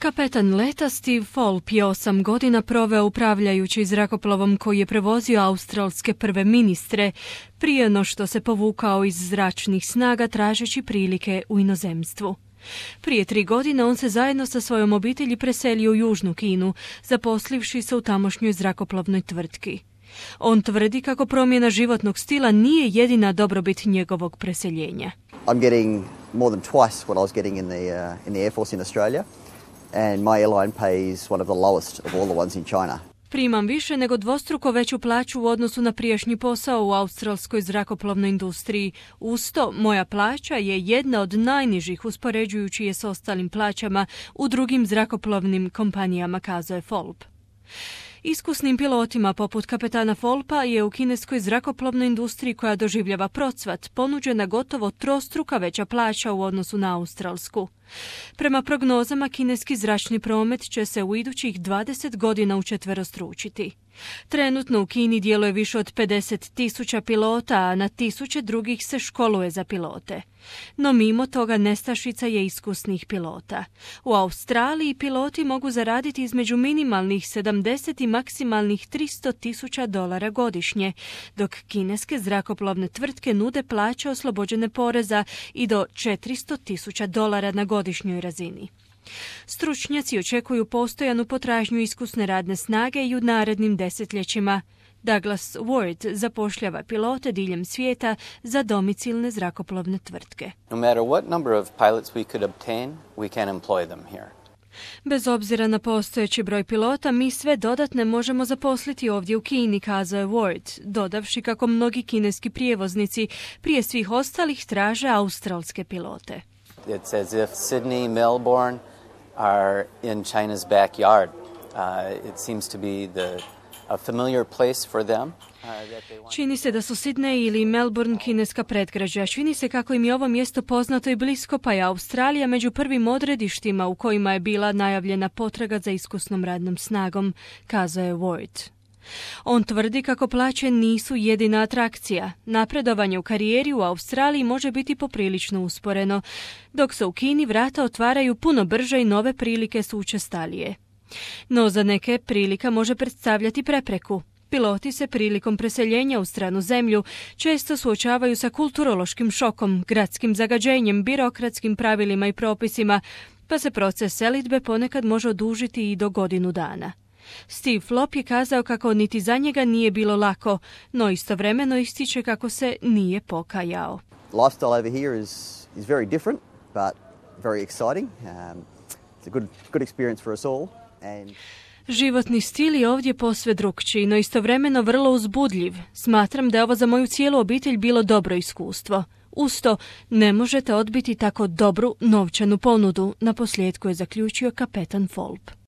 Kapetan leta Steve Fulp je 8 godina proveo upravljajući zrakoplovom koji je prevozio australske prve ministre, prije no što se povukao iz zračnih snaga tražeći prilike u inozemstvu. Prije 3 godine on se zajedno sa svojom obitelji preselio u Južnu Kinu, zaposlivši se u tamošnjoj zrakoplovnoj tvrtki. On tvrdi kako promjena životnog stila nije jedina dobrobit njegovog preseljenja. I'm getting more than twice what I was getting in the Air Force in Australia, and my airline pays one of the lowest of all the ones in China. Primam više nego dvostruko veću plaću u odnosu na prijašnji posao u australskoj zrakoplovnoj industriji. Uz to, moja plaća je jedna od najnižih uspoređujući je s ostalim plaćama u drugim zrakoplovnim kompanijama, kazao je Fulp. Iskusnim pilotima poput kapetana Fulpa je u kineskoj zrakoplovnoj industriji koja doživljava procvat ponuđena gotovo trostruka veća plaća u odnosu na australsku. Prema prognozama, kineski zračni promet će se u idućih 20 godina učetverostručiti. Trenutno u Kini djeluje više od 50.000 pilota, a na tisuće drugih se školuje za pilote. No mimo toga nestašica je iskusnih pilota. U Australiji piloti mogu zaraditi između minimalnih 70 i maksimalnih $300,000 godišnje, dok kineske zrakoplovne tvrtke nude plaće oslobođene poreza i do $400,000 na godišnjoj razini. Stručnjaci očekuju postojanu potražnju iskusne radne snage i u narednim desetljećima. Douglas Ward zapošljava pilote diljem svijeta za domicilne zrakoplovne tvrtke. No matter what number of pilots we could obtain, we can employ them here. Bez obzira na postojeći broj pilota, mi sve dodatne možemo zaposliti ovdje u Kini, kazao je Ward, dodavši kako mnogi kineski prijevoznici prije svih ostalih traže australske pilote. It's as if Sydney, Melbourne are in China's backyard. It seems to be a familiar place for them. Čini se da su Sydney ili Melbourne kineska predgrađa. Čini se kako im je ovo mjesto poznato i blisko, pa je Australija među prvim odredištima u kojima je bila najavljena potraga za iskusnom radnom snagom, kazao je Ward. On tvrdi kako plaće nisu jedina atrakcija. Napredovanje u karijeri u Australiji može biti poprilično usporeno, dok se u Kini vrata otvaraju puno brže i nove prilike su učestalije. No za neke prilika može predstavljati prepreku. Piloti se prilikom preseljenja u stranu zemlju često suočavaju sa kulturološkim šokom, gradskim zagađenjem, birokratskim pravilima i propisima, pa se proces selidbe ponekad može odužiti i do godinu dana. Steve Fulp je kazao kako niti za njega nije bilo lako, no istovremeno ističe kako se nije pokajao. Lifestyle over here is very different, but very exciting. It's a good experience for us all. Životni stil je ovdje posve drukčiji, no istovremeno vrlo uzbudljiv. Smatram da je ovo za moju cijelu obitelj bilo dobro iskustvo. Uz to, ne možete odbiti tako dobru novčanu ponudu, naposljetku je zaključio kapetan Fulp.